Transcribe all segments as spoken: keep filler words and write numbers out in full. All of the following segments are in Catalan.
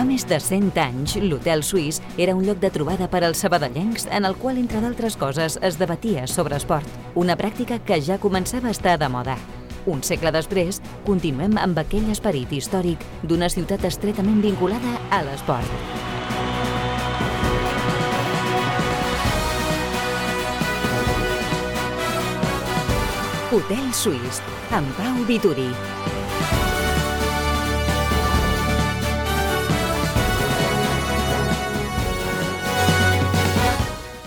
Fa més de cent anys, l'Hotel Suís era un lloc de trobada per als sabadellencs en el qual, entre d'altres coses, es debatia sobre esport. Una pràctica que ja començava a estar de moda. Un segle després, continuem amb aquell esperit històric d'una ciutat estretament vinculada a l'esport. Hotel Suís, amb Pau Vituri.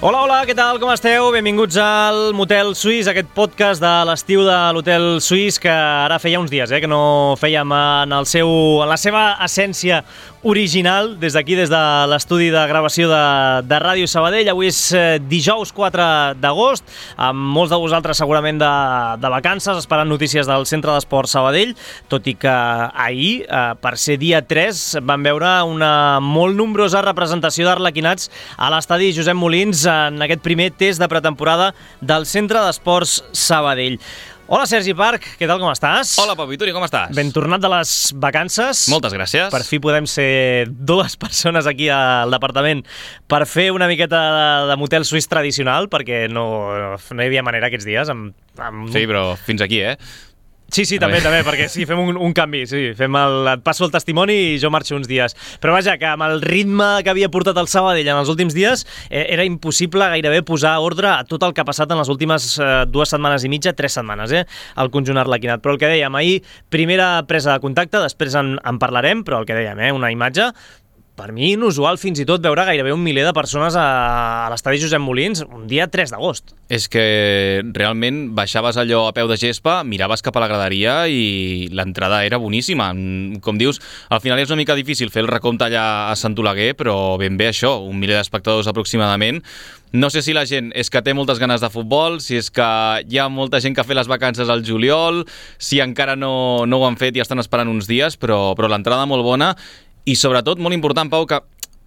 Hola, hola, què tal? Com esteu? Benvinguts al Motel Suís, aquest podcast de l'estiu de l'Hotel Suís que ara feia uns dies eh, que no fèiem en, el seu, en la seva essència original des d'aquí, des de l'estudi de gravació de, de Ràdio Sabadell. Avui és eh, dijous quatre d'agost, amb molts de vosaltres segurament de, de vacances, esperant notícies del Centre d'Esport Sabadell, tot i que ahir, eh, per ser dia tres, vam veure una molt nombrosa representació d'arlequinats a l'estadi Josep Molins en aquest primer test de pretemporada del Centre d'Esports Sabadell. Hola, Sergi Parc, què tal, com estàs? Hola, Pau Vituri, com estàs? Ben tornat de les vacances. Moltes gràcies. Per fi podem ser dues persones aquí al departament per fer una miqueta de, de motel suís tradicional, perquè no, no hi havia manera aquests dies. Amb, amb... Sí, però fins aquí, eh? Sí, sí, també, també, perquè sí, fem un, un canvi, sí, fem el, et passo el testimoni i jo marxo uns dies. Però vaja, que amb el ritme que havia portat el Sabadell en els últims dies eh, era impossible gairebé posar ordre a tot el que ha passat en les últimes eh, dues setmanes i mitja, tres setmanes, eh, al conjunt arlequinat. Però el que dèiem, ahir, primera presa de contacte, després en, en parlarem, però el que dèiem, eh, una imatge... Per mi, inusual fins i tot veure gairebé un miler de persones a, a l'estadi Josep Molins un dia tres d'agost. És que realment baixaves allò a peu de gespa, miraves cap a la graderia i l'entrada era boníssima. Com dius, al final és una mica difícil fer el recompte allà a Sant Oleguer, però ben bé això, un miler d'espectadors aproximadament. No sé si la gent és que té moltes ganes de futbol, si és que hi ha molta gent que ha fet les vacances al juliol, si encara no, no ho han fet i estan esperant uns dies, però, però l'entrada molt bona. I sobretot, molt important, Pau, que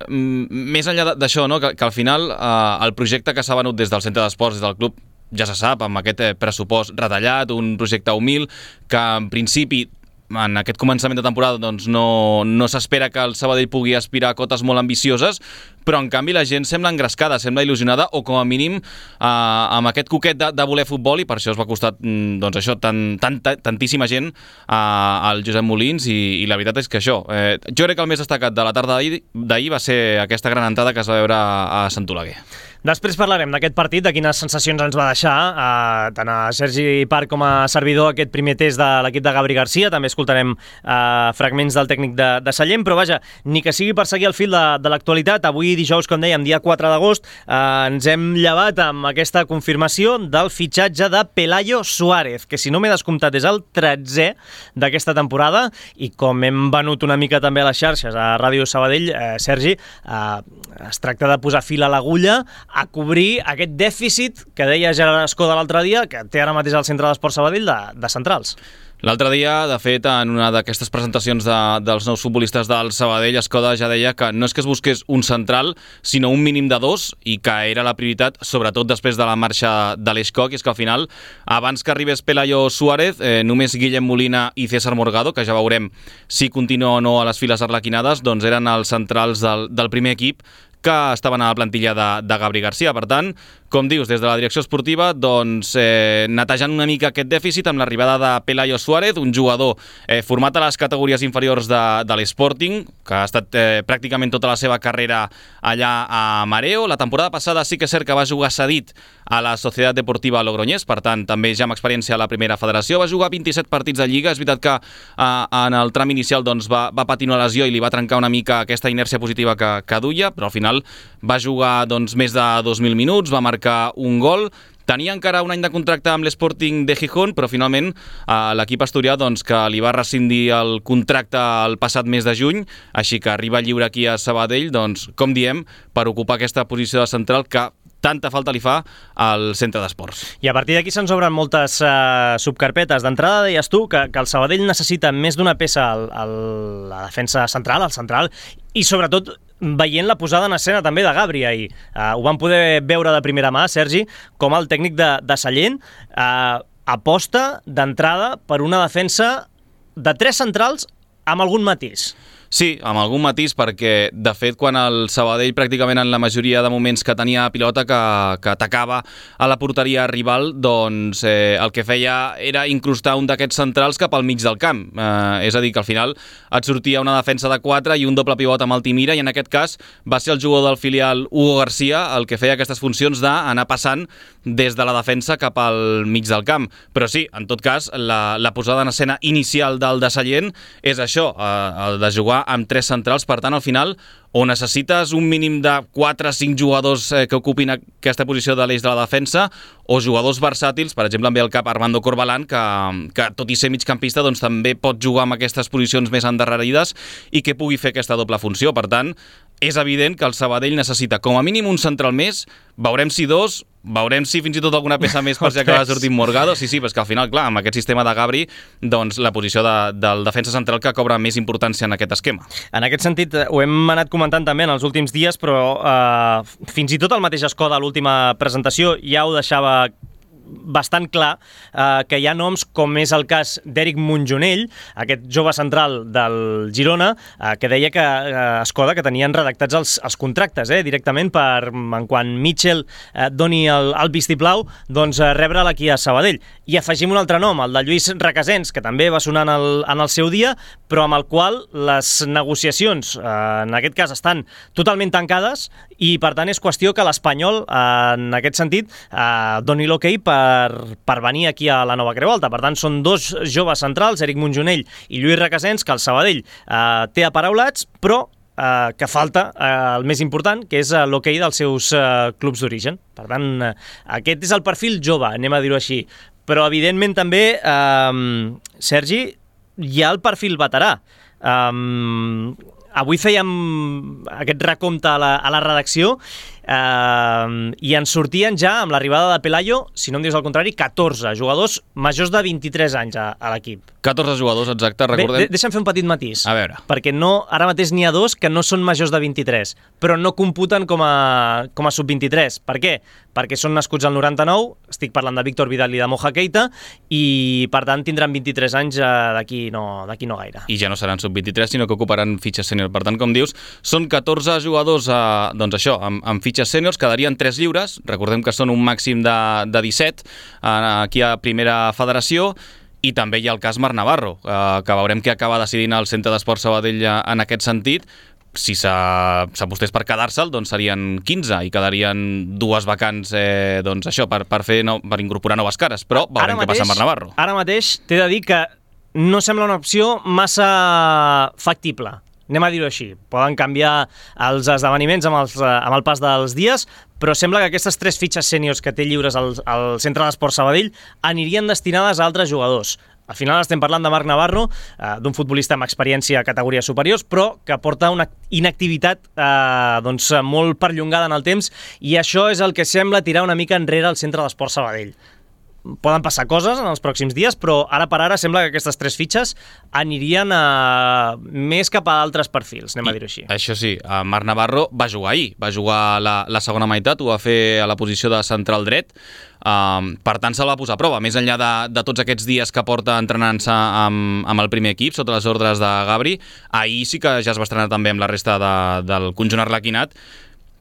mm, més enllà d'això, no? que, que al final eh, el projecte que s'ha venut des del centre d'esports, des del club, ja se sap, amb aquest eh, pressupost retallat, un projecte humil, que en principi en aquest començament de temporada doncs no, no s'espera que el Sabadell pugui aspirar a cotes molt ambicioses, però en canvi la gent sembla engrescada, sembla il·lusionada, o com a mínim eh, amb aquest coquet de, de voler futbol, i per això es va costar doncs això, tant, tant, tantíssima gent eh, al Josep Molins, i, i la veritat és que això, eh, jo crec que el més destacat de la tarda d'ahir va ser aquesta gran entrada que es va veure a, a Sant Oleguer. Després parlarem d'aquest partit, de quines sensacions ens va deixar, eh, tant a Sergi Parc com a servidor, aquest primer test de l'equip de Gabri Garcia. També escoltarem eh, fragments del tècnic de, de Sallent, però vaja, ni que sigui per seguir el fil de, de l'actualitat. Avui, dijous, com dèiem, dia quatre d'agost, eh, ens hem llevat amb aquesta confirmació del fitxatge de Pelayo Suárez, que si no m'he descomptat és el tretzè d'aquesta temporada, i com hem venut una mica també a les xarxes a Ràdio Sabadell, eh, Sergi, eh, es tracta de posar fil a l'agulla a cobrir aquest dèficit que deia Gerard Escoda l'altre dia, que té ara mateix el Centre d'Esport Sabadell de, de centrals. L'altre dia, de fet, en una d'aquestes presentacions de, dels nous futbolistes del Sabadell, Escoda ja deia que no és que es busqués un central, sinó un mínim de dos, i que era la prioritat, sobretot després de la marxa de l'Eix Coc, i és que al final, abans que arribés Pelayo Suárez, eh, només Guillem Molina i César Morgado, que ja veurem si continua o no a les files arlequinades, doncs eren els centrals del, del primer equip que estaven a la plantilla de, de Gabri Garcia. Per tant, com dius, des de la direcció esportiva, doncs, eh, netejant una mica aquest dèficit amb l'arribada de Pelayo Suárez, un jugador eh, format a les categories inferiors de, de l'Sporting, que ha estat eh, pràcticament tota la seva carrera allà a Mareo. La temporada passada sí que és cert que va jugar cedit a la Societat Deportiva Logroñés, per tant, també ja amb experiència a la primera federació. Va jugar vint-i-set partits de Lliga. És veritat que eh, en el tram inicial doncs, va, va patir una lesió i li va trencar una mica aquesta inèrcia positiva que, que duia, però al final va jugar doncs, més de dos mil minuts, va marcar un gol. Tenia encara un any de contracte amb l'Sporting de Gijón, però finalment eh, l'equip asturià doncs, que li va rescindir el contracte el passat mes de juny, així que arriba lliure aquí a Sabadell, doncs, com diem, per ocupar aquesta posició de central que tanta falta li fa al centre d'esports. I a partir d'aquí se'ns obren moltes uh, subcarpetes. D'entrada deies tu que, que el Sabadell necessita més d'una peça a la defensa central, al central, i sobretot veient la posada en escena també de Gabri ahir. Uh, ho vam poder veure de primera mà, Sergi, com el tècnic de, de Sallent uh, aposta d'entrada per una defensa de tres centrals amb algun matís. Sí, amb algun matís, perquè, de fet, quan el Sabadell pràcticament en la majoria de moments que tenia pilota que, que atacava a la porteria rival, doncs eh, el que feia era incrustar un d'aquests centrals cap al mig del camp. Eh, és a dir, que al final et sortia una defensa de quatre i un doble pivot amb Altimira, i en aquest cas va ser el jugador del filial Hugo García el que feia aquestes funcions d'anar passant des de la defensa cap al mig del camp. Però sí, en tot cas, la, la posada en escena inicial del de Sallent és això, eh, el de jugar amb tres centrals. Per tant, al final, o necessites un mínim de quatre o cinc jugadors eh, que ocupin aquesta posició de l'eix de la defensa, o jugadors versàtils, per exemple, em ve al cap Armando Corbalán, que, que tot i ser migcampista, doncs també pot jugar amb aquestes posicions més endarrerides i que pugui fer aquesta doble funció. Per tant, és evident que el Sabadell necessita com a mínim un central més, veurem si dos, veurem si fins i tot alguna peça més per si acaba sortint Morgado. Sí, sí, però és que al final, clar, amb aquest sistema de Gabri, doncs la posició de, del defensa central que cobra més importància en aquest esquema. En aquest sentit, ho hem anat comentant també en els últims dies, però eh, fins i tot el mateix Escó de l'última presentació ja ho deixava bastant clar, eh, que hi ha noms com és el cas d'Eric Monjonell, aquest jove central del Girona, eh, que deia que eh, Escoda que tenien redactats els, els contractes eh, directament per, en quan Mitchell eh, doni el, el vistiplau, doncs eh, rebre'l aquí a Sabadell. I afegim un altre nom, el de Lluís Requesens, que també va sonar en el, en el seu dia, però amb el qual les negociacions, eh, en aquest cas, estan totalment tancades i, per tant, és qüestió que l'Espanyol, eh, en aquest sentit, eh, doni l'hoquei per Per, per venir aquí a la Nova Creu Alta. Per tant, són dos joves centrals, Eric Monjonell i Lluís Requesens, que el Sabadell eh, té aparaulats, però eh, que falta eh, el més important, que és eh, l'hoquei dels seus eh, clubs d'origen. Per tant, eh, aquest és el perfil jove, anem a dir-ho així. Però, evidentment, també, eh, Sergi, hi ha el perfil veterà. Eh, avui fèiem aquest recompte a la, a la redacció Uh, i ens sortien ja, amb l'arribada de Pelayo, si no em dius el contrari, catorze jugadors majors de vint-i-tres anys a, a l'equip. catorze jugadors, exacte, recordem. Bé, deixa'm fer un petit matís. A veure. Perquè no, ara mateix n'hi ha dos que no són majors de vint-i-tres, però no computen com a, com a sub vint-i-tres. Per què? Perquè són nascuts al noranta-nou, estic parlant de Víctor Vidal i de Moja Keita, i per tant tindran vint-i-tres anys uh, d'aquí no, d'aquí no gaire. I ja no seran sub vint-i-tres, sinó que ocuparan fitxes sènior. Per tant, com dius, són catorze jugadors, uh, doncs això, amb, amb fitxes sèniors, quedarien tres lliures, recordem que són un màxim de, de disset uh, aquí a Primera Federació, i també hi ha el cas Marc Navarro, uh, que veurem què acaba decidint el Centre d'Esports Sabadell en aquest sentit. Si s'apostés per quedar-se'l, doncs serien quinze i quedarien dues vacants eh, doncs això, per, per, fer no, per incorporar noves cares, però veurem què passa amb Marc Navarro. Ara mateix t'he de dir que no sembla una opció massa factible. Anem a dir-ho així. Poden canviar els esdeveniments amb, els, amb el pas dels dies, però sembla que aquestes tres fitxes sèniors que té lliures al, al Centre d'Esports Sabadell anirien destinades a altres jugadors. Al final estem parlant de Marc Navarro, eh, d'un futbolista amb experiència a categories superiors, però que porta una inactivitat eh, doncs, molt perllongada en el temps, i això és el que sembla tirar una mica enrere al Centre d'Esports Sabadell. Poden passar coses en els pròxims dies, però ara per ara sembla que aquestes tres fitxes anirien a... més cap a altres perfils, anem a dir-ho així. Això sí, Marc Navarro va jugar ahir, va jugar la, la segona meitat, ho va fer a la posició de central dret, um, per tant se'l va posar a prova, més enllà de, de tots aquests dies que porta entrenant-se amb, amb el primer equip, sota les ordres de Gabri. Ahir sí que ja es va estrenar també amb la resta de, del conjunt arlequinat.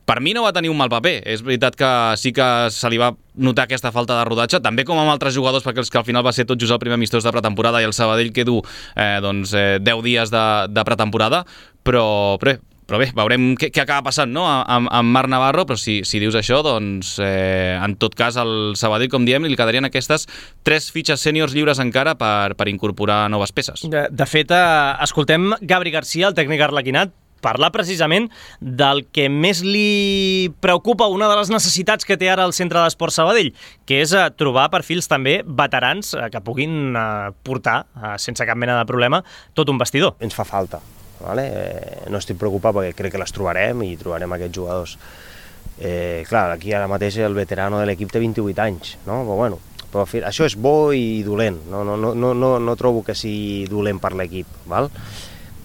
Per mi no va tenir un mal paper, és veritat que sí que se li va notar aquesta falta de rodatge, també com amb altres jugadors, perquè els que al final va ser tot just el primer amistós de pretemporada i el Sabadell que du eh, doncs, eh, deu dies de, de pretemporada, però, però, però bé, veurem què, què acaba passant, no?, amb, amb Marc Navarro, però si, si dius això, doncs eh, en tot cas el Sabadell, com diem, li quedarien aquestes tres fitxes sèniors lliures encara per, per incorporar noves peces. De, de fet, eh, escoltem Gabri García, el tècnic arlequinat, parlar precisament del que més li preocupa, una de les necessitats que té ara el Centre d'Esports Sabadell, que és eh, trobar perfils també veterans eh, que puguin eh, portar, eh, sense cap mena de problema, tot un vestidor. Ens fa falta, vale? eh, no estic preocupat perquè crec que les trobarem i trobarem aquests jugadors. Eh, clar, aquí ara mateix el veterano de l'equip té vint-i-vuit anys, no? Però bueno, però això és bo i dolent, no, no, no, no, no trobo que sigui dolent per l'equip, val?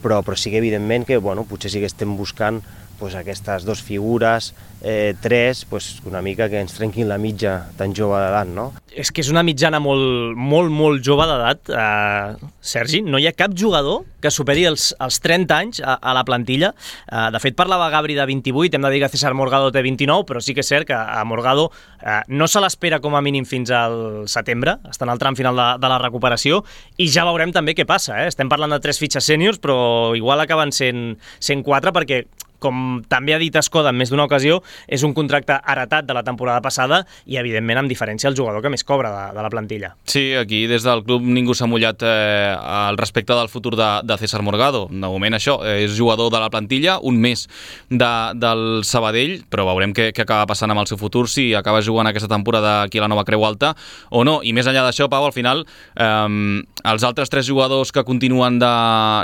Però, però sí que evidentment que bueno, potser sí que estem buscant pues, aquestes dues figures, eh, tres, pues, una mica que ens trenquin la mitja tan jove d'edat, no? És que és una mitjana molt, molt, molt jove d'edat, eh, Sergi. No hi ha cap jugador que superi els, els trenta anys a, a la plantilla. Eh, de fet, parlava Gabri de vint-i-vuit, hem de dir que César Morgado té vint-i-nou, però sí que és cert que a Morgado eh, no se l'espera com a mínim fins al setembre, està en el tram final de, de la recuperació, i ja veurem també què passa. Eh? Estem parlant de tres fitxes sèniors, però igual acaben sent, sent quatre, perquè com també ha dit Escoda en més d'una ocasió, és un contracte heretat de la temporada passada i, evidentment, amb diferència el jugador que més cobra de, de la plantilla. Sí, aquí des del club ningú s'ha mullat eh, al respecte del futur de, de César Morgado. De moment això, és jugador de la plantilla, un mes de, del Sabadell, però veurem què, què acaba passant amb el seu futur, si acaba jugant aquesta temporada aquí a la Nova Creu Alta o no. I més enllà d'això, Pau, al final, eh, els altres tres jugadors que continuen de,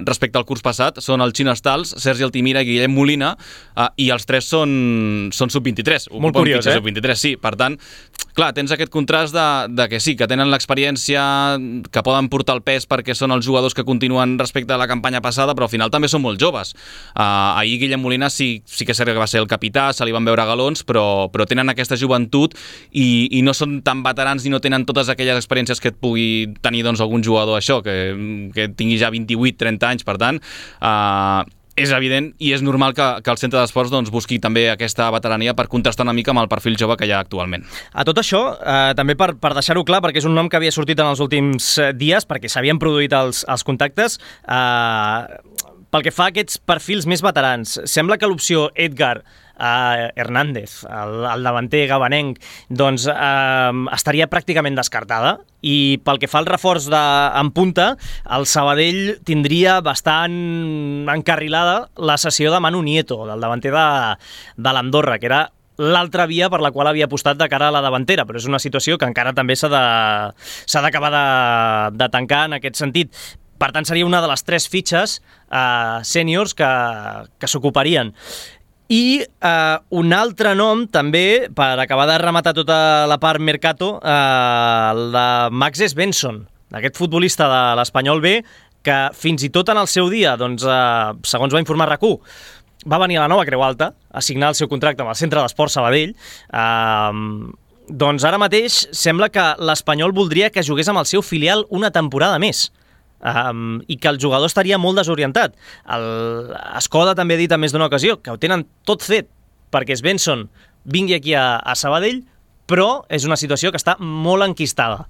respecte al curs passat són el Xino Stals, Sergi Altimira i Guillem Molina, Uh, i els tres són, són sub vint-i-tres. Molt curiós, eh? sub vint-i-tres, sí. Per tant, clar, tens aquest contrast de, de que sí, que tenen l'experiència, que poden portar el pes perquè són els jugadors que continuen respecte a la campanya passada, però al final també són molt joves. Uh, ahir Guillem Molina sí, sí que és cert que va ser el capità, se li van veure galons, però, però tenen aquesta joventut i, i no són tan veterans ni no tenen totes aquelles experiències que et pugui tenir doncs, algun jugador això, que, que tingui ja vint-i-vuit trenta anys. Per tant, uh, és evident i és normal que, que el centre d'esports doncs, busqui també aquesta veterania per contrastar una mica amb el perfil jove que hi ha actualment. A tot això, eh, també per, per deixar-ho clar, perquè és un nom que havia sortit en els últims dies, perquè s'havien produït els, els contactes, eh, pel que fa a aquests perfils més veterans, sembla que l'opció Edgar Uh, Hernández, el, el davanter gabanenc, doncs uh, estaria pràcticament descartada, i pel que fa al reforç de, en punta, el Sabadell tindria bastant encarrilada la cessió de Manu Nieto, del davanter de, de l'Andorra, que era l'altra via per la qual havia apostat de cara a la davantera, però és una situació que encara també s'ha de, s'ha d'acabar de, de tancar en aquest sentit. Per tant, seria una de les tres fitxes uh, sèniors que, que s'ocuparien. I eh, un altre nom, també, per acabar de rematar tota la part mercato, eh, el de Max Svensson, aquest futbolista de l'Espanyol B, que fins i tot en el seu dia, doncs, eh, segons va informar RAC u, va venir a la Nova Creu Alta a signar el seu contracte amb el Centre d'Esports Sabadell. Eh, doncs ara mateix sembla que l'Espanyol voldria que jugués amb el seu filial una temporada més. Um, i que el jugador estaria molt desorientat. El Escoda també ha dit en més d'una ocasió que ho tenen tot fet perquè Svensson vingui aquí a, a Sabadell, però és una situació que està molt enquistada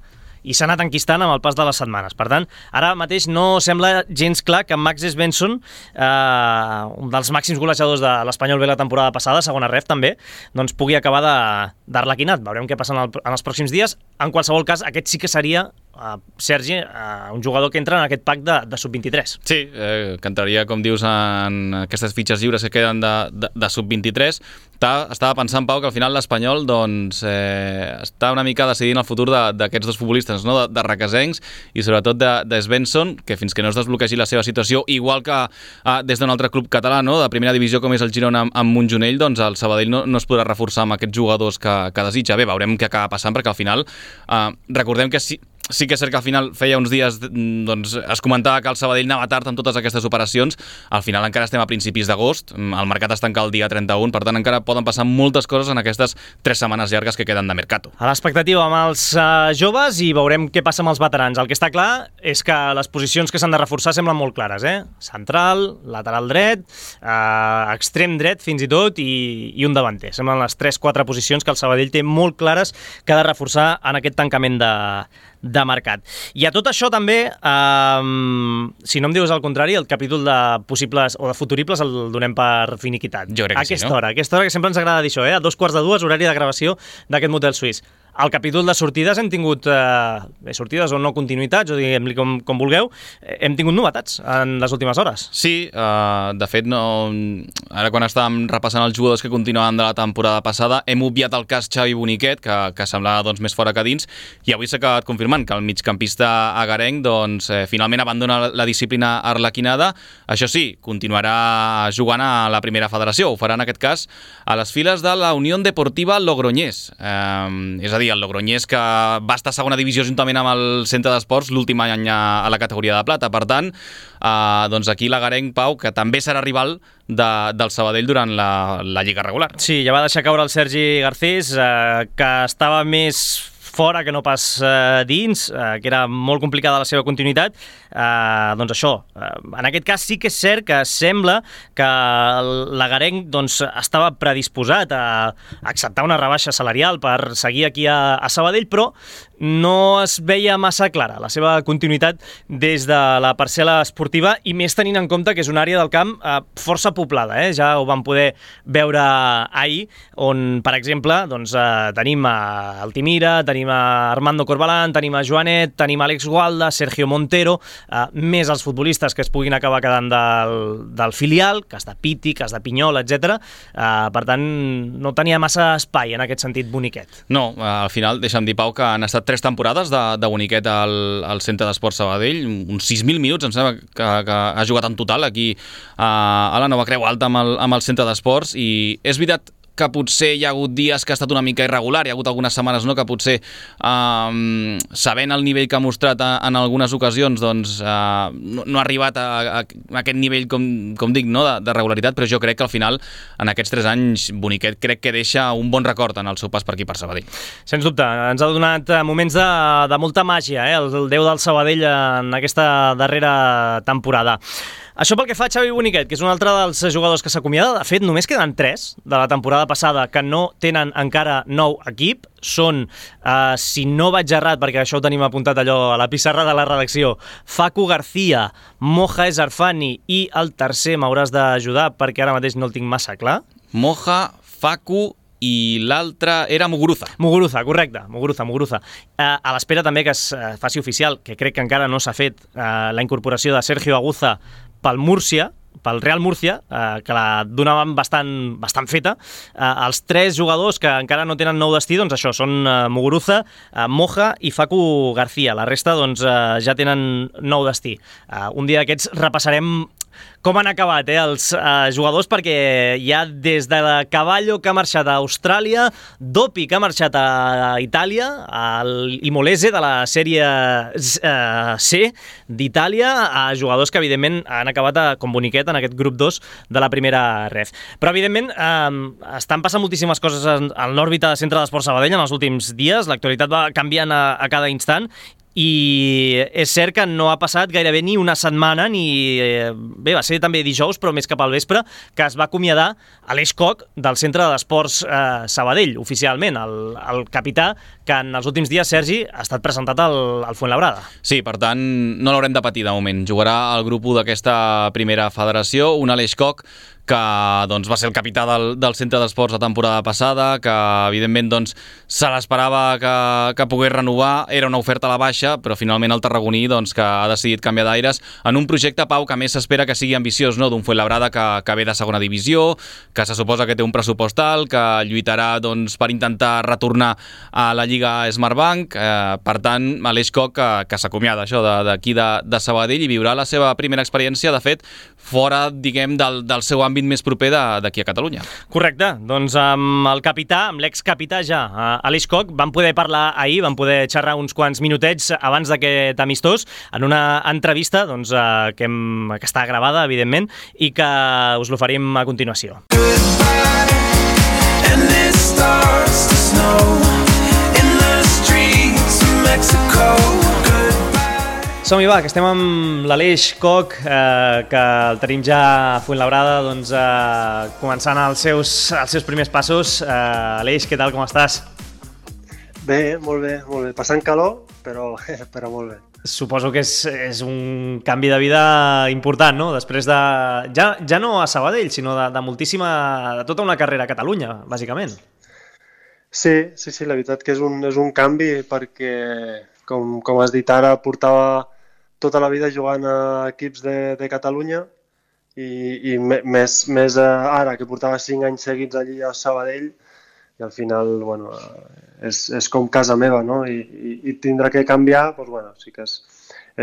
i s'ha anat enquistant amb el pas de les setmanes. Per tant, ara mateix no sembla gens clar que Max Svensson, eh, un dels màxims golejadors de l'Espanyol B la temporada passada, segona ref també, doncs pugui acabar d'arlequinat. Veurem què passa en, el, en els pròxims dies. En qualsevol cas, aquest sí que seria, uh, Sergi, uh, un jugador que entra en aquest pack de, de sub vint-i-tres. Sí, eh, que entraria, com dius, en aquestes fitxes lliures que queden de, de, de sub vint-i-tres. Estava pensant, Pau, que al final l'Espanyol doncs, eh, està una mica decidint el futur d'aquests dos futbolistes, no? de, de Requesencs i sobretot de, de Svensson, que fins que no es desbloquegi la seva situació, igual que eh, des d'un altre club català, no? de primera divisió com és el Girona amb, amb Montjonell, doncs el Sabadell no, no es podrà reforçar amb aquests jugadors que, que desitja. Bé, veurem què acaba passant, perquè al final eh, recordem que si sí que és cert que al final feia uns dies doncs, es comentava que el Sabadell anava tard amb totes aquestes operacions. Al final encara estem a principis d'agost, el mercat es tanca el dia trenta-u, per tant encara poden passar moltes coses en aquestes tres setmanes llargues que queden de mercato. A l'expectativa amb els uh, joves i veurem què passa amb els veterans. El que està clar és que les posicions que s'han de reforçar semblen molt clares, eh? Central, lateral dret, uh, extrem dret fins i tot i, i un davanter. Semblen les tres quatre posicions que el Sabadell té molt clares que ha de reforçar en aquest tancament de de mercat. I a tot això també, eh, si no em dius el contrari, el capítol de possibles o de futuribles el donem per finiquitat. Jo crec que aquesta sí, no? hora, aquesta hora que sempre ens agrada dir això, eh? A dos quarts de dues, horari de gravació d'aquest motel suís. Al capítol de sortides hem tingut eh, sortides o no continuïtats, o diguem-li com, com vulgueu, hem tingut novetats en les últimes hores. Sí, uh, de fet, no, ara quan estàvem repassant els jugadors que continuaven de la temporada passada, hem obviat el cas Xavi Boniquet, que, que semblava doncs, més fora que dins, i avui s'ha acabat confirmant que el migcampista agarenc doncs, eh, finalment abandona la disciplina arlequinada. Això sí, continuarà jugant a la primera federació, ho farà en aquest cas a les files de la Unió Deportiva Logroñés. Eh, és a dir, dir, el Logroñés, que va estar a segona divisió juntament amb el Centre d'Esports l'últim any a la categoria de plata. Per tant, eh, doncs aquí l'Agarenc, Pau, que també serà rival de, del Sabadell durant la, la Lliga regular. Sí, ja va deixar caure el Sergi Garcés, eh, que estava més fora que no pas eh, dins, eh, que era molt complicada la seva continuïtat. Eh, doncs això, eh, en aquest cas sí que és cert que sembla que l'Agarenc doncs, estava predisposat a acceptar una rebaixa salarial per seguir aquí a, a Sabadell, però no es veia massa clara la seva continuïtat des de la parcel·la esportiva, i més tenint en compte que és una àrea del camp eh, força poblada, eh? Ja ho vam poder veure ahir, on, per exemple, doncs, eh, tenim a Altimira, tenim a Armando Corbalán, tenim a Joanet, tenim a Àlex Gualda, Sergio Montero, eh, més els futbolistes que es puguin acabar quedant del, del filial, cas de Piti, cas de Pinyol, etcètera. Eh, per tant, no tenia massa espai en aquest sentit Boniquet. No, al final, deixa'm dir, Pau, que han estat tres temporades de, de Boniquet al, al Centre d'Esports Sabadell, uns sis mil minuts, em sembla que, que ha jugat en total aquí a, a la Nova Creu Alta amb el, amb el Centre d'Esports, i és veritat que potser hi ha hagut dies que ha estat una mica irregular, hi ha hagut algunes setmanes no, que potser, eh, sabent el nivell que ha mostrat en algunes ocasions, doncs eh, no, no ha arribat a, a, a aquest nivell, com, com dic, no, de, de regularitat, però jo crec que al final, en aquests tres anys, Boniquet crec que deixa un bon record en el seu pas per aquí per Sabadell. Sens dubte, ens ha donat moments de, de molta màgia, eh, el, el déu del Sabadell en aquesta darrera temporada. Això pel que fa a Xavi Boniquet, que és un altre dels jugadors que s'acomiada. De fet, només queden tres de la temporada passada que no tenen encara nou equip. Són, eh, si no vaig errat, perquè això ho tenim apuntat allò a la pissarra de la redacció, Facu García, Moja Ezarfani i el tercer m'hauràs d'ajudar perquè ara mateix no el tinc massa clar. Moja, Facu i l'altre era Muguruza. Muguruza, correcte, Muguruza, Muguruza. Eh, a l'espera també que es eh, faci oficial, que crec que encara no s'ha fet, eh, la incorporació de Sergio Aguza pel Múrcia, pel Real Múrcia, eh, que la donaven bastant, bastant feta. Eh, els tres jugadors que encara no tenen nou destí, doncs això, són eh, Muguruza, eh, Moja i Facu García. La resta doncs, eh, ja tenen nou destí. Eh, un dia d'aquests repassarem com han acabat eh, els eh, jugadors, perquè hi ha des de Cavallo, que ha marxat a Austràlia, Dopi, que ha marxat a Itàlia, el Imolese de la sèrie eh, C d'Itàlia, a jugadors que evidentment han acabat a, com Boniquet en aquest grup dos de la primera ref. Però evidentment eh, estan passant moltíssimes coses en, en l'òrbita de Centre d'Esports Sabadell en els últims dies, l'actualitat va canviant a, a cada instant, i és cert que no ha passat gairebé ni una setmana, ni bé, va ser també dijous, però més cap al vespre, que es va acomiadar Aleix Koch del Centre d'Esports eh, Sabadell, oficialment, el, el capità que en els últims dies, Sergi, ha estat presentat al, al Fuenlabrada. Sí, per tant, no l'haurem de patir de moment. Jugarà al grup u d'aquesta primera federació, un Aleix Koch que doncs, va ser el capità del, del Centre d'Esports la temporada passada, que evidentment doncs, se l'esperava que, que pogués renovar, era una oferta a la baixa, però finalment el tarragoní doncs, que ha decidit canviar d'aires en un projecte, Pau, que més s'espera que sigui ambiciós, no? D'un Fuenlabrada que, que ve de segona divisió, que se suposa que té un pressupost alt, que lluitarà doncs, per intentar retornar a la Lliga Smartbank. Eh, per tant, Aleix Koch que, que s'acomiada això d'aquí de, de, de Sabadell i viurà la seva primera experiència, de fet, fora, diguem, del, del seu àmbit més proper d'aquí a Catalunya. Correcte, doncs amb el capità, amb l'excapità ja, Aleix Koch, vam poder parlar ahir, vam poder xerrar uns quants minutets abans d'aquest amistós, en una entrevista doncs, que, hem, que està gravada, evidentment, i que us l'oferim a continuació. And it starts to snow in the streets of Mexico. Som-hi, va, que estem amb l'Aleix Koch, eh, que el tenim ja a Fuenlabrada, doncs, eh, començant els seus, els seus primers passos. Eh, Aleix, què tal, com estàs? Bé, molt bé, molt bé. Passant calor, però, però molt bé. Suposo que és, és un canvi de vida important, no? Després de... Ja, ja no a Sabadell, sinó de, de moltíssima... de tota una carrera a Catalunya, bàsicament. Sí, sí, sí, la veritat que és un, és un canvi perquè, com, com has dit ara, portava tota la vida jugant a equips de, de Catalunya i, i més, més ara, que portava cinc anys seguits allí a Sabadell, i al final, bueno, és, és com casa meva, no? I, i, i tindrà que canviar, doncs, bueno, sí que és,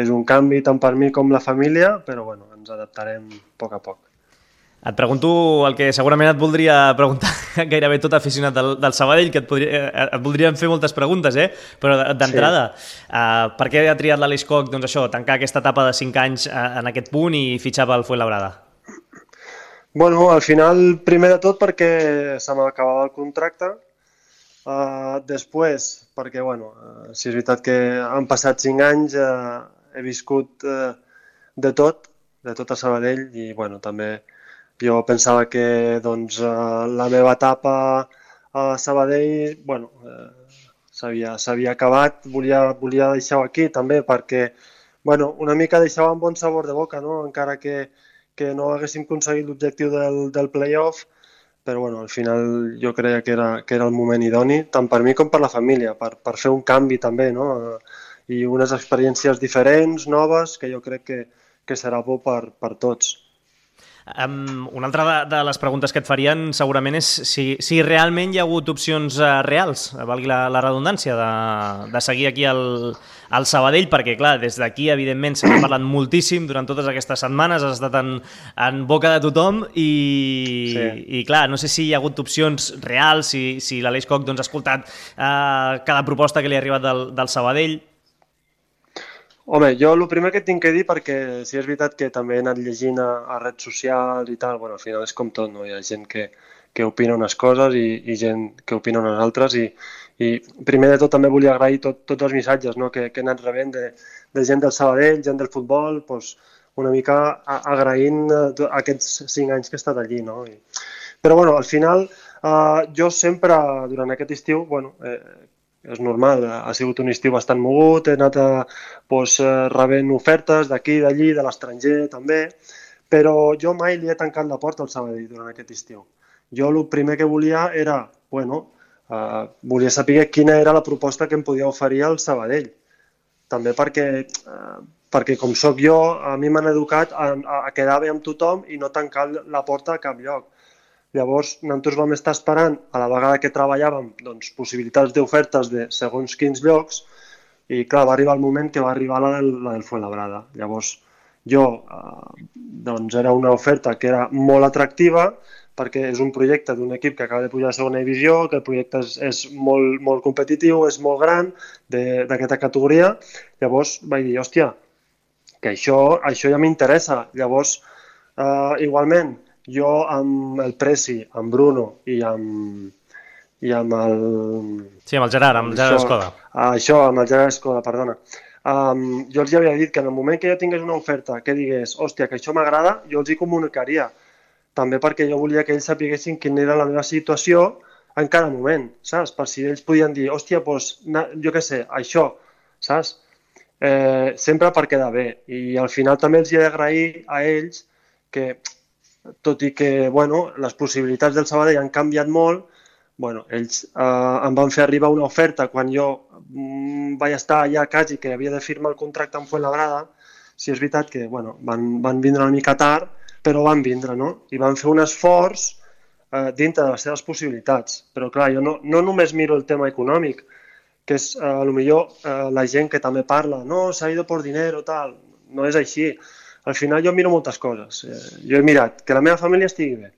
és un canvi tant per mi com la família, però bueno, ens adaptarem a poc a poc. Et pregunto el que segurament et voldria preguntar gairebé tot aficionat del, del Sabadell, que et, podria, et voldrien fer moltes preguntes, eh? Però d'entrada, sí. uh, per què ha triat l'Aleix Koch, doncs això, tancar aquesta etapa de cinc anys uh, en aquest punt i fitxar pel Fuenlabrada? Bueno, al final, primer de tot perquè se m'acabava el contracte, uh, després perquè, bueno, uh, si és veritat que han passat cinc anys, uh, he viscut uh, de tot, de tot a Sabadell i, bueno, també jo pensava que doncs, la meva etapa a Sabadell bueno, s'havia acabat, volia, volia deixar-ho aquí també perquè bueno, una mica deixava un bon sabor de boca, no? Encara que, que no haguéssim aconseguit l'objectiu del, del play-off, però bueno, al final jo creia que era, que era el moment idoni, tant per mi com per la família, per, per fer un canvi també, no? I unes experiències diferents, noves, que jo crec que, que serà bo per, per tots. Um, una altra de, de les preguntes que et farien segurament és si, si realment hi ha hagut opcions uh, reals, valgui la, la redundància, de, de seguir aquí al, al Sabadell, perquè clar, des d'aquí evidentment s'ha parlat moltíssim durant totes aquestes setmanes, has estat en, en boca de tothom i, sí. i clar, no sé si hi ha hagut opcions reals, si, si l'Aleix Koch doncs, ha escoltat uh, cada proposta que li ha arribat del, del Sabadell. Home, jo el primer que tinc que dir, perquè si és veritat que també he anat llegint a, a redes socials i tal, bueno, al final és com tot, no? Hi ha gent que, que opina unes coses i, i gent que opina unes altres i, i primer de tot també volia agrair tot, tots els missatges, no? que, que he anat rebent de, de gent del Sabadell, gent del futbol, doncs una mica agraint aquests cinc anys que he estat allí, no? I, però bueno, al final eh, jo sempre durant aquest estiu, bueno, eh, és normal, ha sigut un estiu bastant mogut, he anat a, doncs, rebent ofertes d'aquí, d'allí, de l'estranger també, però jo mai li he tancat la porta al Sabadell durant aquest estiu. Jo el primer que volia era, bueno, uh, volia saber quina era la proposta que em podia oferir al Sabadell. També perquè, uh, perquè com sóc jo, a mi m'han educat a, a quedar bé amb tothom i no tancar la porta a cap lloc. Llavors, nosaltres vam estar esperant, a la vegada que treballàvem, doncs, possibilitats d'ofertes de segons quins llocs i, clar, va arribar el moment que va arribar la del, la del Fuenlabrada. Llavors, jo, eh, doncs, era una oferta que era molt atractiva perquè és un projecte d'un equip que acaba de pujar a segona divisió, que el projecte és, és molt, molt competitiu, és molt gran, d'aquesta categoria. Llavors, vaig dir, hòstia, que això, això ja m'interessa. Llavors, eh, igualment, jo amb el Presi, amb Bruno i amb, i amb el... Sí, amb el Gerard, amb el Gerard Escoda. Això, amb el Gerard Escoda, perdona. Um, jo els havia dit que en el moment que jo tingués una oferta que digués, hòstia, que això m'agrada, jo els hi comunicaria. També perquè jo volia que ells sapiguessin quina era la meva situació en cada moment, saps? Per si ells podien dir, hòstia, doncs, jo què sé, això, saps? Eh, sempre per quedar bé. I al final també els he d'agrair a ells que... tot i que bueno, les possibilitats del Sabadell han canviat molt, bueno, ells eh, em van fer arribar una oferta quan jo mm, vaig estar allà quasi que havia de firmar el contracte amb Fuenlabrada. Si és veritat que bueno, van, van vindre una mica tard, però van vindre, no? I van fer un esforç eh, dintre de les seves possibilitats. Però clar, jo no, no només miro el tema econòmic, que és eh, potser eh, la gent que també parla, no, s'ha ido por dinero, tal, no és així. Al final jo miro moltes coses. Jo he mirat que la meva família estigui bé,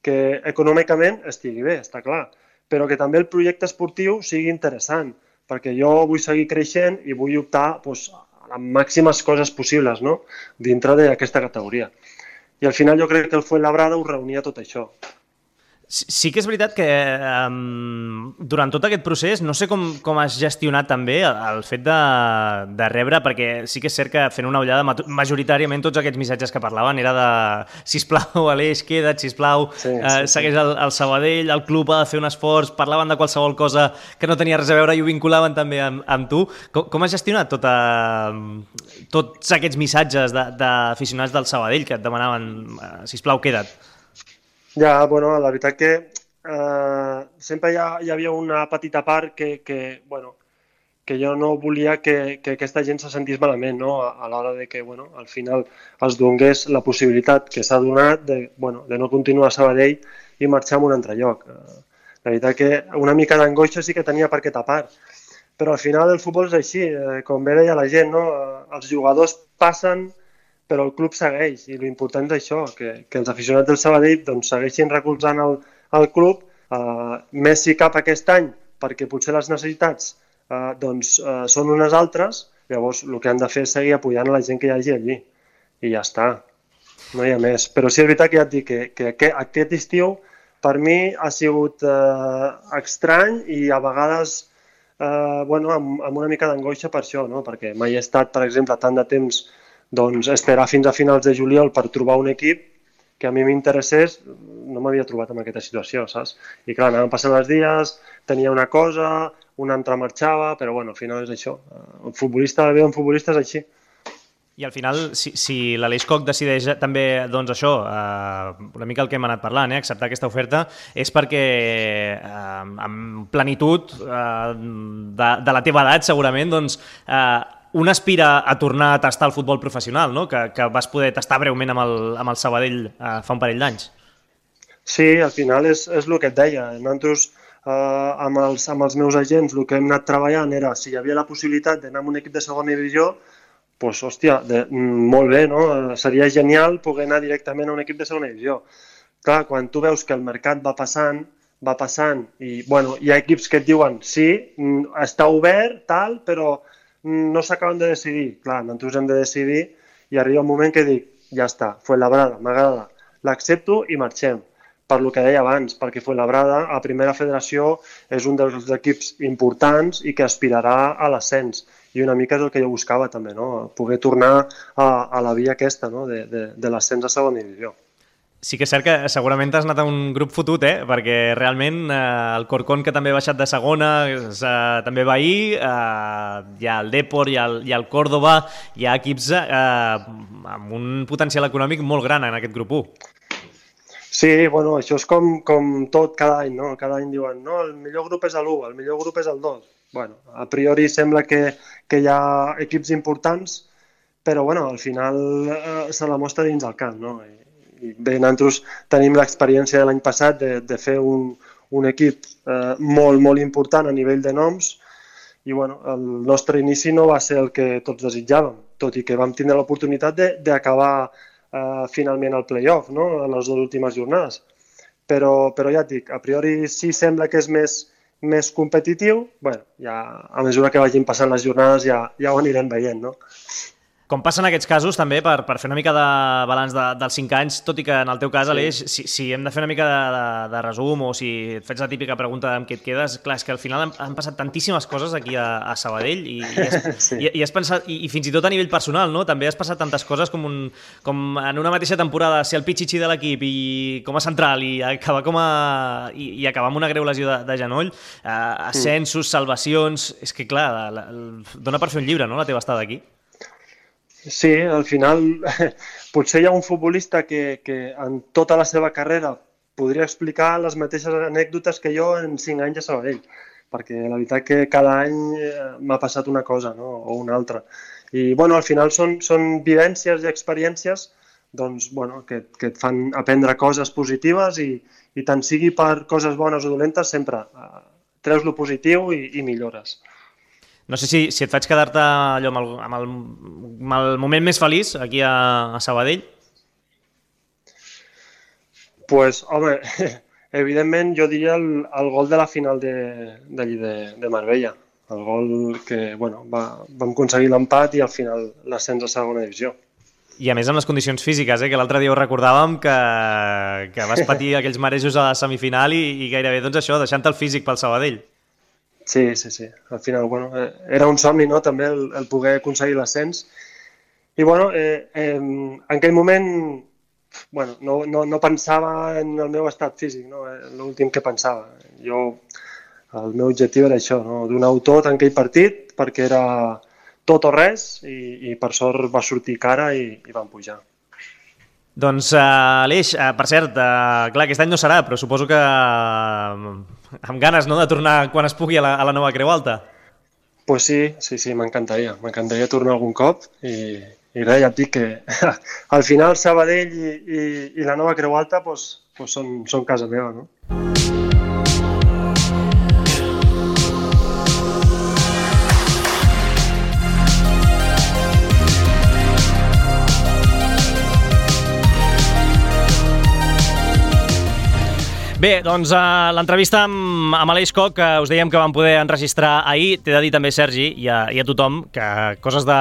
que econòmicament estigui bé, està clar, però que també el projecte esportiu sigui interessant, perquè jo vull seguir creixent i vull optar doncs, a les màximes coses possibles, no? Dintre d'aquesta categoria. I al final jo crec que el Fuenlabrada ho reunia tot això. Sí que és veritat que um, durant tot aquest procés, no sé com, com has gestionat també el, el fet de, de rebre, perquè sí que és cert que fent una ullada majoritàriament tots aquests missatges que parlaven era de sisplau, Aleix, queda't, sisplau, sí, sí, eh, segueix el, el Sabadell, el club ha de fer un esforç, parlaven de qualsevol cosa que no tenia res a veure i ho vinculaven també amb, amb tu. Com, com has gestionat tota, tots aquests missatges d'aficionats de, del Sabadell que et demanaven sisplau, queda't? Ja, bueno, la veritat que eh, sempre hi, ha, hi havia una petita part que, que, bueno, que jo no volia que, que aquesta gent se sentís malament, no? a, a l'hora de que bueno, al final es donés la possibilitat que s'ha donat de, bueno, de no continuar a Sabadell i marxar a un altre lloc. La veritat que una mica d'angoixa sí que tenia per aquesta part, però al final el futbol és així, eh, com bé deia la gent, no? Els jugadors passen, però el club segueix, i l'important és això, que, que els aficionats del Sabadell doncs, segueixin recolzant el, el club, uh, més si cap aquest any, perquè potser les necessitats uh, doncs, uh, són unes altres, llavors el que han de fer és seguir apoyant a la gent que hi hagi allí, i ja està, no hi ha més. Però sí, és veritat que ja et dic que, que aquest, aquest estiu per mi ha sigut eh, estrany i a vegades eh, bueno, amb, amb una mica d'angoixa per això, no? Perquè mai he estat, per exemple, tant de temps doncs, esperar fins a finals de juliol per trobar un equip que a mi m'interessés, no m'havia trobat en aquesta situació, saps? I clar, anaven passant els dies, tenia una cosa, una altra marxava, però bueno, al final és això. El futbolista, la vida d'un futbolista és així. I al final, si, si l'Aleix Koch decideix també, doncs això, eh, una mica el que hem anat parlant, eh, acceptar aquesta oferta, és perquè eh, amb plenitud eh, de, de la teva edat, segurament, doncs, eh, un aspira a tornar a tastar el futbol professional, no? que, que vas poder tastar breument amb el, amb el Sabadell eh, fa un parell d'anys. Sí, al final és, és el que et deia. Nosaltres, eh, amb, els, amb els meus agents, el que hem anat treballant era si hi havia la possibilitat d'anar amb un equip de segona divisió, doncs, hòstia, de, molt bé, no? Seria genial poder anar directament a un equip de segona divisió. Clar, quan tu veus que el mercat va passant, va passant, i bueno, hi ha equips que et diuen sí, està obert, tal, però no s'acaben de decidir. Clar, nosaltres hem de decidir i arriba un moment que dic, ja està, Fuenlabrada, m'agrada, l'accepto i marxem. Per lo que deia abans, perquè Fuenlabrada, a Primera Federació, és un dels equips importants i que aspirarà a l'ascens. I una mica és el que jo buscava també, no? Poder tornar a, a la via aquesta, no? de, de, de l'ascens a segona divisió. Sí que és cert que segurament has anat a un grup fotut, eh? Perquè realment eh, el Corcón, que també ha baixat de segona, eh, també va ahir, eh, hi ha el Depor, hi ha el, hi ha el Córdoba, hi ha equips eh, amb un potencial econòmic molt gran en aquest grup u. Sí, bueno, això és com, com tot cada any, no? Cada any diuen, no, el millor grup és l'u, el millor grup és el dos. Bueno, a priori sembla que, que hi ha equips importants, però bueno, al final eh, se la mostra dins el camp, no? I, i bé, nosaltres tenim l'experiència de l'any passat de, de fer un, un equip eh, molt, molt important a nivell de noms i bueno, el nostre inici no va ser el que tots desitjàvem, tot i que vam tindre l'oportunitat d'acabar eh, finalment el play-off, no? En les dues últimes jornades. Però, però ja et dic, a priori sí sembla que és més més competitiu, bueno, ja a mesura que vagin passant les jornades ja, ja ho anirem veient, no? Com passa en aquests casos, també, per, per fer una mica de balanç de, dels cinc anys, tot i que en el teu cas, sí. Aleix, si, si hem de fer una mica de, de, de resum o si et fets la típica pregunta amb què et quedes, clar, és que al final han, han passat tantíssimes coses aquí a, a Sabadell i, i, has, sí. i, i has pensat, i, i fins i tot a nivell personal, no? També has passat tantes coses com, un, com en una mateixa temporada ser el pitxitxi de l'equip i com a central i acabar, com a, i, i acabar amb una greu lesió de, de genoll, eh, ascensos, salvacions... És que, clar, la, la, dona per fer un llibre, no?, la teva estada aquí. Sí, al final potser hi ha un futbolista que, que en tota la seva carrera podria explicar les mateixes anècdotes que jo en cinc anys a Sabadell, perquè la veritat que cada any m'ha passat una cosa, no? O una altra. I bueno, al final són, són vivències i experiències doncs, bueno, que, que et fan aprendre coses positives i, i tant sigui per coses bones o dolentes, sempre eh, treus lo positiu i, i millores. No sé si, si et faig quedar-te allò amb el, amb, el, amb el moment més feliç aquí a, a Sabadell. Pues, home, evidentment jo diria el, el gol de la final de, de, de, de Marbella. El gol que bueno, va, vam aconseguir l'empat i al final l'ascens a segona divisió. I a més amb les condicions físiques, eh? Que l'altre dia ho recordàvem que, que vas patir aquells marejos a la semifinal i, i gairebé doncs això, deixant el físic pel Sabadell. Sí, sí, sí. Al final, bueno, eh, era un somni, no?, també el, el poder aconseguir l'ascens. I, bueno, eh, eh, en aquell moment, bueno, no, no, no pensava en el meu estat físic, no?, l'últim que pensava. Jo, el meu objectiu era això, no?, donar-ho tot en aquell partit, perquè era tot o res, i, i per sort va sortir cara i, i vam pujar. Doncs, uh, Aleix, uh, per cert, uh, clar, aquest any no serà, però suposo que uh, amb ganes, no?, de tornar quan es pugui a la, a la nova Creu Alta. Pues sí, sí, sí, m'encantaria. M'encantaria tornar algun cop i, i res, ja et dic que al final Sabadell i, i, i la nova Creu Alta pues, pues són, són casa meva, no? Bé, doncs uh, l'entrevista amb, amb Aleix Koch, que us dèiem que vam poder enregistrar ahir, t'he de dir també, Sergi, i a, i a tothom, que coses de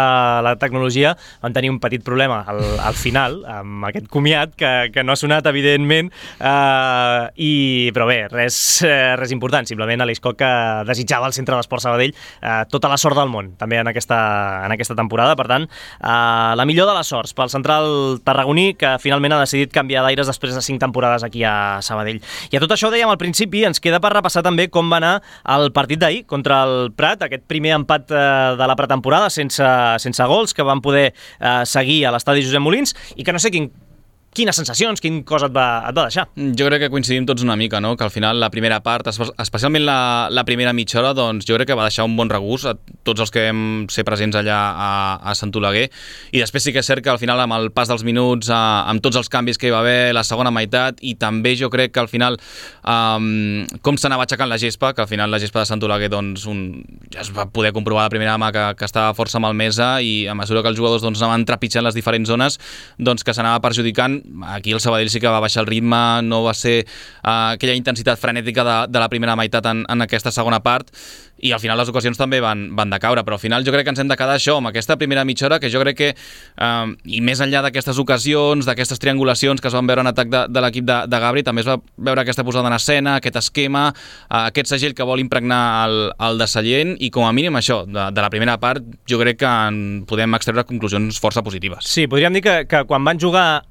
la tecnologia van tenir un petit problema al, al final, amb aquest comiat, que, que no ha sonat, evidentment, uh, i, però bé, res, res important, simplement Aleix Koch, que desitjava al Centre d'Esports Sabadell uh, tota la sort del món, també en aquesta, en aquesta temporada. Per tant, uh, la millor de les sorts pel central tarragoní, que finalment ha decidit canviar d'aires després de cinc temporades aquí a Sabadell. I a tot això ho dèiem al principi, ens queda per repassar també com va anar el partit d'ahir contra el Prat, aquest primer empat eh, de la pretemporada sense, sense gols, que van poder eh, seguir a l'estadi Josep Molins, i que no sé quin quines sensacions, quin cosa et va, et va deixar? Jo crec que coincidim tots una mica, no? Que al final la primera part, especialment la, la primera mitja hora, doncs jo crec que va deixar un bon regust a tots els que vam ser presents allà a, a Sant Oleguer, i després sí que és cert que al final amb el pas dels minuts, a, amb tots els canvis que hi va haver la segona meitat, i també jo crec que al final um, com s'anava aixecant la gespa, que al final la gespa de Sant Oleguer doncs, un, ja es va poder comprovar la primera mà que, que estava força malmesa, i a mesura que els jugadors doncs, anaven trepitjant les diferents zones, doncs que s'anava perjudicant. Aquí el Sabadell sí que va baixar el ritme, no va ser uh, aquella intensitat frenètica de, de la primera meitat en, en aquesta segona part, i al final les ocasions també van, van decaure, però al final jo crec que ens hem de quedar això, amb aquesta primera mitja hora, que jo crec que, uh, i més enllà d'aquestes ocasions, d'aquestes triangulacions que es van veure en atac de, de l'equip de, de Gabri, també es va veure aquesta posada en escena, aquest esquema, uh, aquest segell que vol impregnar el, el de Sallent, i com a mínim això, de, de la primera part, jo crec que en podem extreure conclusions força positives. Sí, podríem dir que, que quan van jugar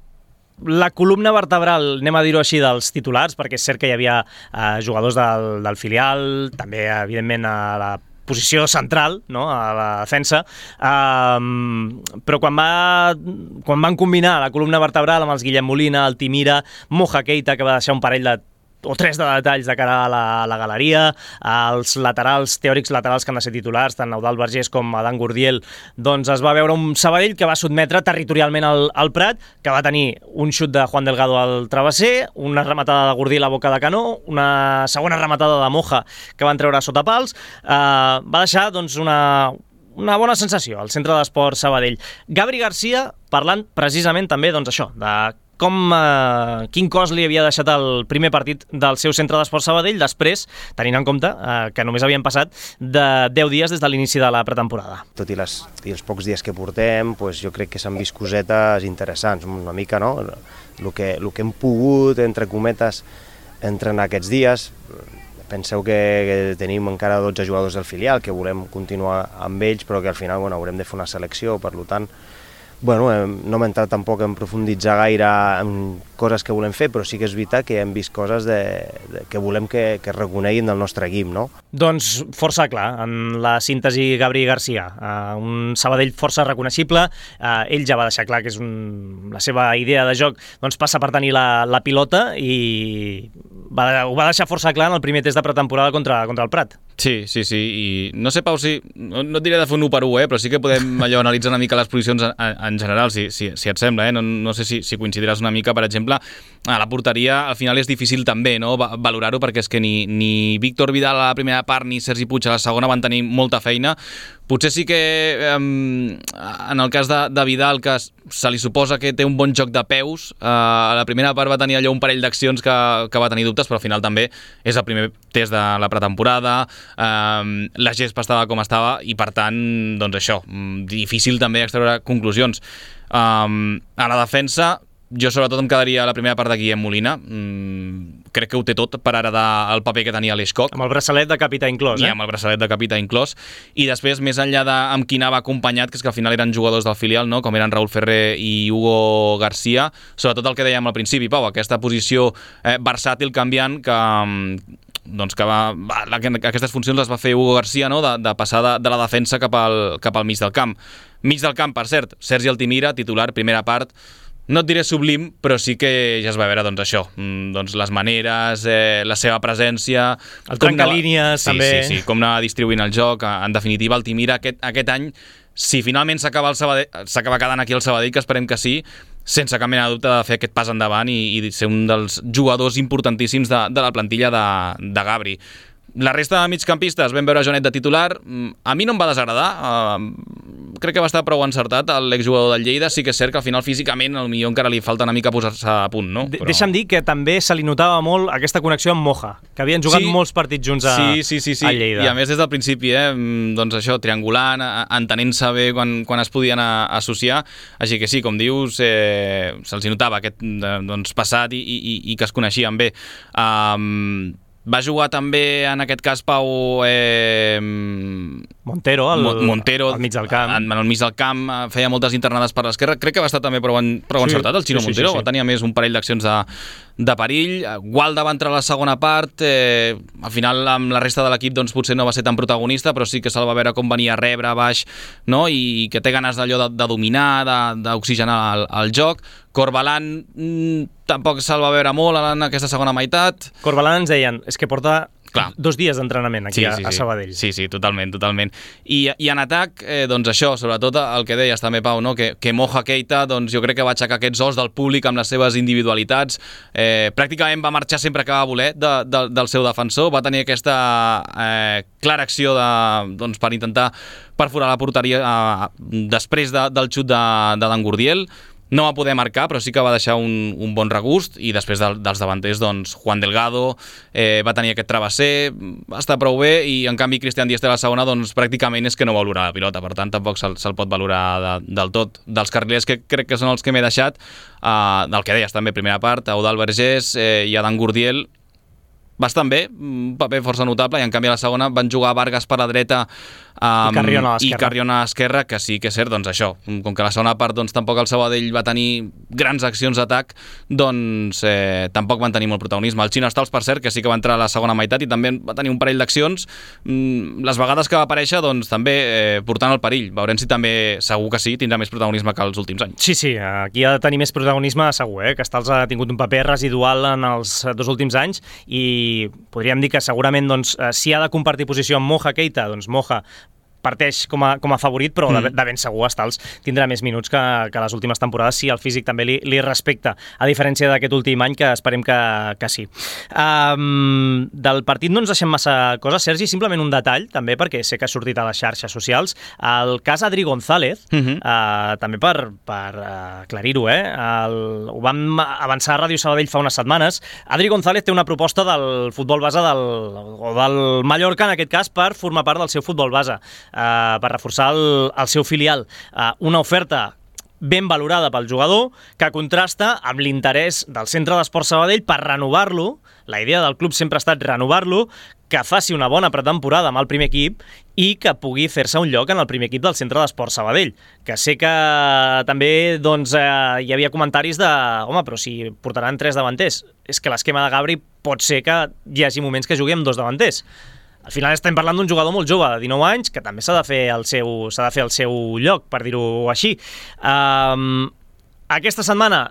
la columna vertebral, anem a dir-ho així, dels titulars, perquè és cert que hi havia eh, jugadors del, del filial, també, evidentment, a la posició central, no?, a la defensa, um, però quan, va, quan van combinar la columna vertebral amb els Guillem Molina, el Timira, Moja Keita, que va deixar un parell de o tres de detalls de cara a la, a la galeria, els laterals, teòrics laterals que han de ser titulars, tant Eudald Vergés com Adán Gurdiel, doncs es va veure un Sabadell que va sotmetre territorialment el, el Prat, que va tenir un xut de Juan Delgado al travesser, una rematada de Gurdiel a boca de canó, una segona rematada de Moja que van treure sota pals, eh, va deixar doncs, una, una bona sensació al Centre d'Esport Sabadell. Gabri Garcia parlant precisament també doncs, això, de com, eh, quin cos li havia deixat el primer partit del seu Centre d'Esport Sabadell, després, tenint en compte eh, que només havien passat de deu dies des de l'inici de la pretemporada. Tot i, les, i els pocs dies que portem, doncs jo crec que s'han vist cosetes interessants, una mica, no? El que, el que hem pogut, entre cometes, entrenar aquests dies. Penseu que, que tenim encara dotze jugadors del filial, que volem continuar amb ells, però que al final bueno, haurem de fer una selecció, per tant, bueno, no hem entrat tampoc en profunditzar gaire en coses que volem fer, però sí que és veritat que hem vist coses de, de, que volem que, que reconeguin del nostre equip, no? Doncs força clar, en la síntesi Gabri Garcia, uh, un Sabadell força reconeixible, uh, ell ja va deixar clar que és un, la seva idea de joc doncs passa per tenir la, la pilota, i va, ho va deixar força clar en el primer test de pretemporada contra, contra el Prat. Sí, sí, sí, i no sé, Pau, si, no, no et diré de fer un u per u, eh, però sí que podem allò analitzar una mica les posicions en, en general, si, si, si et sembla, eh? no, no sé si, si coincidiràs una mica, per exemple, a la porteria al final és difícil també, no?, valorar-ho, perquè és que ni, ni Víctor Vidal a la primera part ni Sergi Puig a la segona van tenir molta feina. Potser sí que eh, en el cas de, de Vidal, que se li suposa que té un bon joc de peus, eh, a la primera part va tenir allò un parell d'accions que, que va tenir dubtes, però al final també és el primer test de la pretemporada, eh, la gespa estava com estava, i per tant, doncs això, difícil també extreure conclusions. Eh, a la defensa, jo sobretot em quedaria a la primera part de Guillem Molina. Mm, crec que ho té tot per heredar el paper que tenia Aleix Koch. Amb el braçalet de capità inclòs, eh? I amb el braçalet de capità inclòs. I després, més enllà de amb qui anava acompanyat, que és que al final eren jugadors del filial, no?, com eren Raúl Ferrer i Hugo Garcia, sobretot el que dèiem al principi, Pau, aquesta posició eh, versàtil, canviant, que... doncs que va, va, aquestes funcions les va fer Hugo Garcia, no?, de, de passar de, de la defensa cap al, cap al mig del camp. Mig del camp, per cert, Sergi Altimira, titular, primera part, no et diré sublim, però sí que ja es va veure doncs això, doncs les maneres, eh, la seva presència... El trencalínies, sí, també. Sí, sí, com anava distribuint el joc. En definitiva, Altimira aquest, aquest any, si finalment s'acaba el Sabadell, s'acaba quedant aquí el Sabadell, que esperem que sí, sense cap mena de dubte de fer aquest pas endavant i, i ser un dels jugadors importantíssims de, de la plantilla de, de Gabri. La resta de migcampistes vam veure Joanet de titular, a mi no em va desagradar, crec que va estar prou encertat l'exjugador del Lleida. Sí que és cert que al final físicament al millor encara li falta una mica posar-se a punt, no? Però... Deixa'm dir que també se li notava molt aquesta connexió amb Moja, que havien jugat sí, molts partits junts a, sí, sí, sí, sí. a Lleida. I a més des del principi, eh, doncs això, triangulant, entenent-se bé quan, quan es podien associar, així que sí, com dius, eh, se'ls notava aquest doncs, passat i, i, i que es coneixien bé. Um, va jugar també, en aquest cas, Pau... Eh, Montero, al, Montero, al mig del camp. En, en el mig del camp, feia moltes internades per l'esquerra. Crec que va estar també prou, en, prou sí, encertat, el Xino sí, sí, Montero. Sí, sí. Va tenir més un parell d'accions de, de perill. Gualda va entrar a la segona part. Eh, al final, amb la resta de l'equip, doncs, potser no va ser tan protagonista, però sí que se'l va veure com venia a rebre, baix, no? I que té ganes d'allò de, de dominar, d'oxigenar el, el joc. Corbalan mm, tampoc se'l va veure molt en aquesta segona meitat. Corbalan ens deien, és que porta Clar. dos dies d'entrenament aquí sí, sí, a, a Sabadell. Sí, sí, totalment, totalment. I, i en atac, eh, doncs això, sobretot el que deies també, Pau, no? que, que Moja Keita, doncs jo crec que va aixecar aquests os del públic amb les seves individualitats. Eh, pràcticament va marxar sempre que va voler de, de, del seu defensor, va tenir aquesta eh, clara acció de, doncs, per intentar perforar la porteria eh, després de, del xut de, de Dan Gurdiel. No va poder marcar, però sí que va deixar un, un bon regust, i després de, dels davanters, doncs, Juan Delgado eh, va tenir aquest travesser, va estar prou bé, i en canvi Cristian Dieste a la segona, doncs, pràcticament és que no va valorar la pilota, per tant, tampoc se'l, se'l pot valorar de, del tot. Dels carrilers que crec que són els que m'he deixat, eh, del que deies també, primera part, Eudald Vergés eh, i Adán Gurdiel, bastant bé, un paper força notable, i en canvi a la segona van jugar Vargas per la dreta um, i Carriona a l'esquerra. I Carriona a l'esquerra, que sí que és cert, doncs això, com que a la segona part doncs, tampoc el Sabadell va tenir grans accions d'atac, doncs eh, tampoc van tenir molt protagonisme. El Xino Stals, per cert, que sí que va entrar a la segona meitat i també va tenir un parell d'accions, mm, les vegades que va aparèixer, doncs també eh, portant el perill. Veurem si també, segur que sí, tindrà més protagonisme que els últims anys. Sí, sí, aquí ha de tenir més protagonisme segur, eh? que Stals ha tingut un paper residual en els dos últims anys, i podríem dir que segurament doncs, si ha de compartir posició amb Moja Keita, doncs Moja parteix com a, com a favorit, però mm. de, de ben segur Stals tindrà més minuts que, que les últimes temporades, si el físic també li, li respecta, a diferència d'aquest últim any, que esperem que, que sí. Um, del partit no ens deixem massa coses, Sergi, simplement un detall, també, perquè sé que ha sortit a les xarxes socials, el cas Adri González, mm-hmm. uh, també per, per uh, aclarir-ho, eh? El, ho vam avançar a Ràdio Sabadell fa unes setmanes. Adri González té una proposta del futbol base del, o del Mallorca, en aquest cas, per formar part del seu futbol base. Uh, per reforçar el, el seu filial. Uh, una oferta ben valorada pel jugador, que contrasta amb l'interès del Centre d'Esport Sabadell per renovar-lo. La idea del club sempre ha estat renovar-lo, que faci una bona pretemporada amb el primer equip i que pugui fer-se un lloc en el primer equip del Centre d'Esport Sabadell. Que sé que també doncs, eh, hi havia comentaris de home, però si portaran tres davanters. És que l'esquema de Gabri pot ser que hi hagi moments que jugui amb dos davanters. Al final estem parlant d'un jugador molt jove, de dinou anys, que també s'ha de fer el seu, s'ha de fer el seu lloc, per dir-ho així. Um, aquesta setmana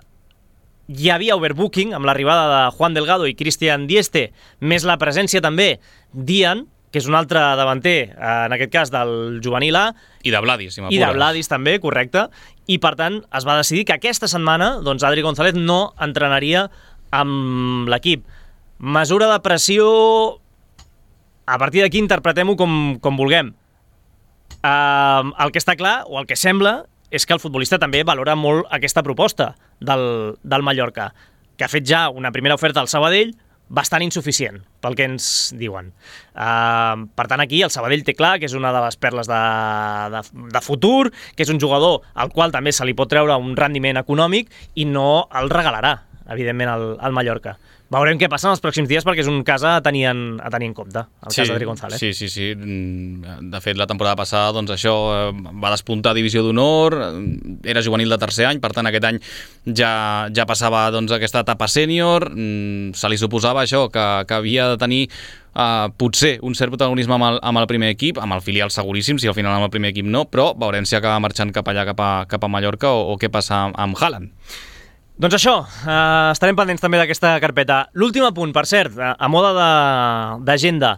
hi havia overbooking amb l'arribada de Juan Delgado i Cristian Dieste, més la presència també d'Ian, que és un altre davanter, en aquest cas del juvenil A. I de Vladis, si m'apures. I de Vladis també, correcte. I per tant es va decidir que aquesta setmana doncs, Adri González no entrenaria amb l'equip. Mesura de pressió... A partir d'aquí interpretem-ho com, com vulguem. Uh, el que està clar, o el que sembla, és que el futbolista també valora molt aquesta proposta del, del Mallorca, que ha fet ja una primera oferta al Sabadell bastant insuficient, pel que ens diuen. Uh, per tant, aquí el Sabadell té clar que és una de les perles de, de, de futur, que és un jugador al qual també se li pot treure un rendiment econòmic i no el regalarà, evidentment, al, al Mallorca. Veurem què passa en els pròxims dies, perquè és un cas a tenir en, a tenir en compte, el sí, cas d'Adri González. Sí, sí, sí. De fet, la temporada passada, doncs això, va despuntar a Divisió d'Honor, era juvenil de tercer any, per tant, aquest any ja, ja passava doncs, aquesta etapa sènior, se li suposava això, que, que havia de tenir uh, potser un cert protagonisme amb el, amb el primer equip, amb el filial seguríssim, si al final amb el primer equip no, però veurem si acaba marxant cap allà, cap a, cap a Mallorca, o, o què passa amb, amb Haaland. Doncs això, eh, estarem pendents també d'aquesta carpeta. L'últim apunt, per cert, a, a moda d'agenda,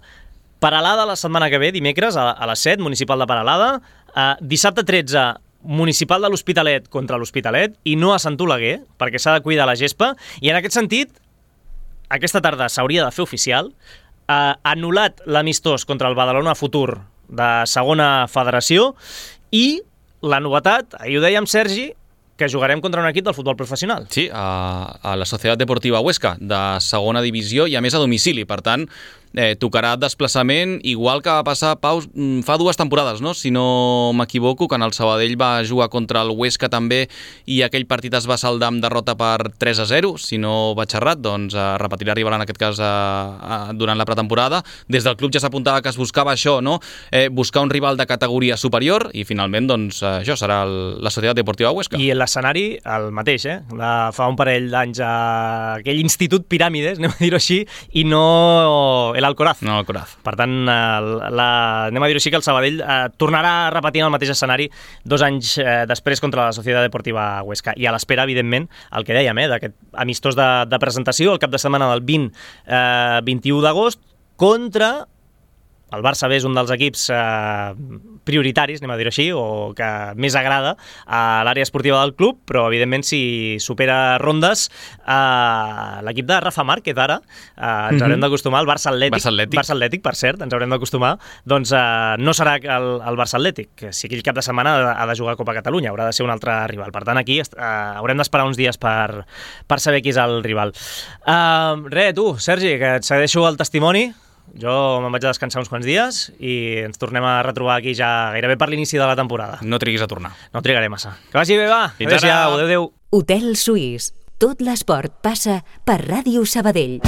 Peralada la setmana que ve, dimecres, a, a les set, municipal de Peralada, eh, dissabte tretze, municipal de l'Hospitalet contra l'Hospitalet, i no a Sant Oleguer, perquè s'ha de cuidar la gespa, i en aquest sentit, aquesta tarda s'hauria de fer oficial, eh, anul·lat l'amistós contra el Badalona Futur de segona federació, i la novetat, ahir ho dèiem, Sergi, que jugarem contra un equip del futbol professional. Sí, a, a la Societat Deportiva Huesca, de segona divisió i a més a domicili. Per tant, eh, tocarà desplaçament, igual que va passar, Pau, fa dues temporades, no? Si no m'equivoco, quan el Sabadell va jugar contra el Huesca també i aquell partit es va saldar amb derrota per tres a zero, si no vaig errat, doncs eh, repetirà rival en aquest cas eh, eh, durant la pretemporada. Des del club ja s'apuntava que es buscava això, no? Eh, buscar un rival de categoria superior i finalment, doncs, eh, això serà el, la Societat Deportiva Huesca. I l'escenari, el mateix, eh? La, fa un parell d'anys a aquell institut Piràmides, anem a dir-ho així, i no l'Alcoraz. No, l'Alcoraz. Per tant, la, la, anem a dir-ho així que el Sabadell eh, tornarà a repetir el mateix escenari dos anys eh, després contra la Societat Deportiva Huesca. I a l'espera, evidentment, el que dèiem, eh, d'aquest amistós de, de presentació, el cap de setmana del vint, eh, vint-i-u d'agost, contra el Barça B és un dels equips eh, prioritaris, anem a dir-ho així, o que més agrada a l'àrea esportiva del club, però evidentment si supera rondes eh, l'equip de Rafa Márquez ara, eh, ens mm-hmm. haurem d'acostumar al Barça Atlètic, Barça Atlètic. Barça Atlètic, per cert, ens haurem d'acostumar, doncs eh, no serà el, el Barça Atlètic, que si aquell cap de setmana ha de jugar a Copa Catalunya, haurà de ser un altre rival. Per tant, aquí eh, haurem d'esperar uns dies per, per saber qui és el rival. Eh, re, tu, Sergi, que et segueixo el testimoni. Jo me'n vaig a descansar uns quants dies i ens tornem a retrobar aquí ja gairebé per l'inici de la temporada. No triguis a tornar. No trigaré massa. Que vagi bé, va. Fins ara. Adéu-siau, adéu-adéu. Hotel Suís. Tot l'esport passa per Ràdio Sabadell.